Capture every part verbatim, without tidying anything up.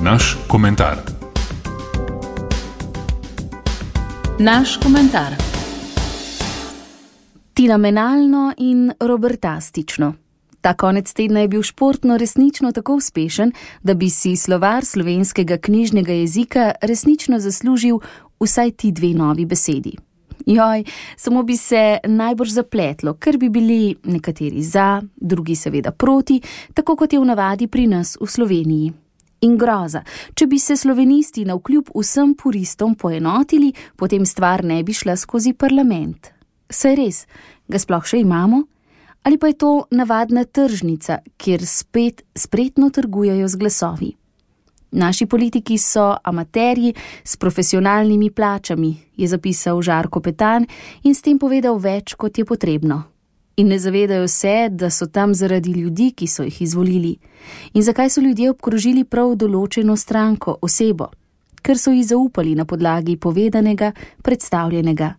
Naš komentar. Naš komentar. Fenomenalno in robertastično. Ta konec tedna je bil športno resnično tako uspešen, da bi si slovar slovenskega knjižnega jezika resnično zaslužil vsaj ti dve novi besedi. Joj, samo bi se najbrž zapletlo, ker bi bili nekateri za, drugi seveda proti, tako kot je v navadi pri nas v Sloveniji. In groza, če bi se slovenisti navkljub vsem puristom poenotili, potem stvar ne bi šla skozi parlament. Saj res, ga sploh še imamo? Ali pa je to navadna tržnica, kjer spet spretno trgujejo z glasovi? Naši politiki so amaterji s profesionalnimi plačami, je zapisal Žarko Petan in s tem povedal več, kot je potrebno. In ne zavedajo se, da so tam zaradi ljudi, ki so jih izvolili. In zakaj so ljudje obkrožili prav določeno stranko, osebo? Ker so ji zaupali na podlagi povedanega, predstavljenega.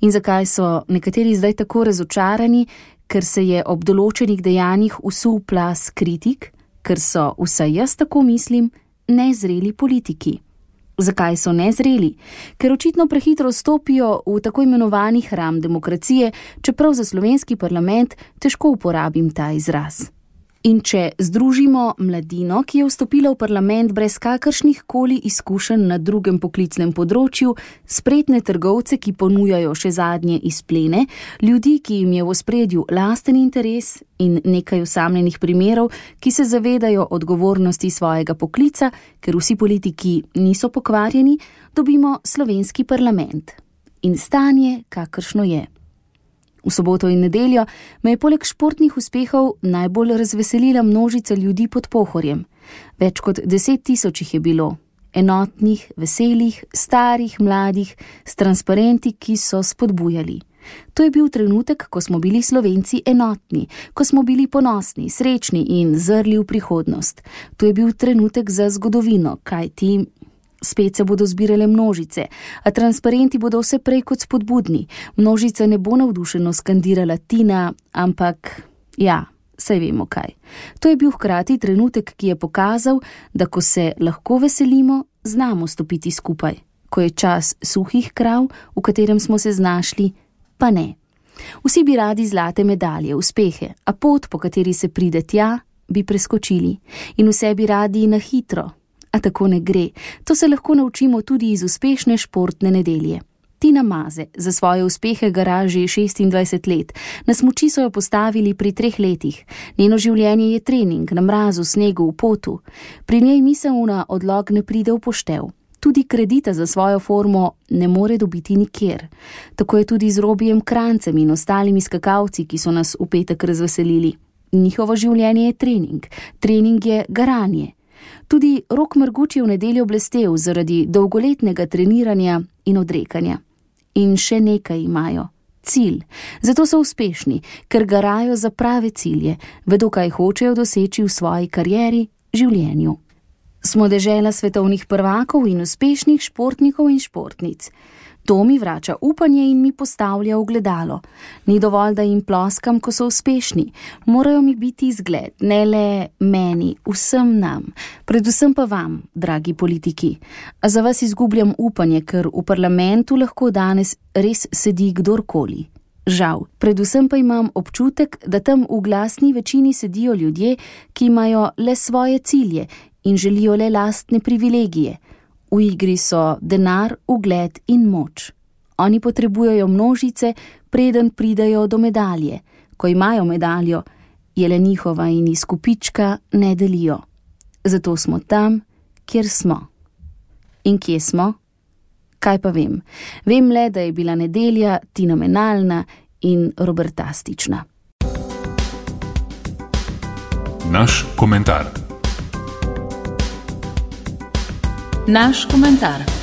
In zakaj so nekateri zdaj tako razočarani, ker se je ob določenih dejanjih usul plaz kritik, ker so, vsaj jaz tako mislim, nezreli politiki. Zakaj so nezreli? Ker očitno prehitro stopijo v tako imenovani hram demokracije, čeprav za slovenski parlament težko uporabim ta izraz. In če združimo mladino, ki je vstopila v parlament brez kakršnih koli izkušenj na drugem poklicnem področju, spretne trgovce, ki ponujajo še zadnje izplene, ljudi, ki jim je v ospredju lasten interes in nekaj osamljenih primerov, ki se zavedajo odgovornosti svojega poklica, ker vsi politiki niso pokvarjeni, dobimo slovenski parlament. In stanje, kakršno je. V soboto in nedeljo me je poleg športnih uspehov najbolj razveselila množica ljudi pod Pohorjem. Več kot deset tisoč jih je bilo. Enotnih, veselih, starih, mladih, s transparenti, ki so spodbujali. To je bil trenutek, ko smo bili Slovenci enotni, ko smo bili ponosni, srečni in zrli v prihodnost. To je bil trenutek za zgodovino, kajti spet se bodo zbirale množice, a transparenti bodo vse prej kot spodbudni. Množica ne bo navdušeno skandirala Tina, ampak ja, saj vemo kaj. To je bil hkrati trenutek, ki je pokazal, da ko se lahko veselimo, znamo stopiti skupaj. Ko je čas suhih krav, v katerem smo se znašli, pa ne. Vsi bi radi zlate medalje, uspehe, a pot, po kateri se pride tja, bi preskočili. In vse bi radi na hitro. A tako ne gre. To se lahko naučimo tudi iz uspešne športne nedelje. Tina Maze za svoje uspehe gara že šestindvajset let. Na smuči so jo postavili pri treh letih. Njeno življenje je trening, na mrazu, snegu, v potu. Pri njej miselna odlog ne pride v poštev. Tudi kredita za svojo formo ne more dobiti nikjer. Tako je tudi z Robijem Krancem in ostalimi skakalci, ki so nas v petek razveselili. Njihovo življenje je trening. Trening je garanje. Tudi Rok Marguč je v nedeljo blestev zaradi dolgoletnega treniranja in odrekanja. In še nekaj imajo. Cilj. Zato so uspešni, ker garajo za prave cilje, vedo, kaj hočejo doseči v svoji karieri, življenju. Smo dežela svetovnih prvakov in uspešnih športnikov in športnic. To mi vrača upanje in mi postavlja ogledalo. Ni dovolj, da jim ploskam, ko so uspešni. Morajo mi biti izgled, ne le meni, vsem nam. Predvsem pa vam, dragi politiki. A za vas izgubljam upanje, ker v parlamentu lahko danes res sedi kdorkoli. Žal, predvsem pa imam občutek, da tam v glasni večini sedijo ljudje, ki imajo le svoje cilje in želijo le lastne privilegije. V igri so denar, ugled in moč. Oni potrebujejo množice, preden pridejo do medalje. Ko imajo medaljo, je le njihova in iz kupička ne delijo. Zato smo tam, kjer smo. In kje smo? Kaj pa vem? Vem le, da je bila nedelja fenomenalna in robertastična. Naš komentar. Naš komentar.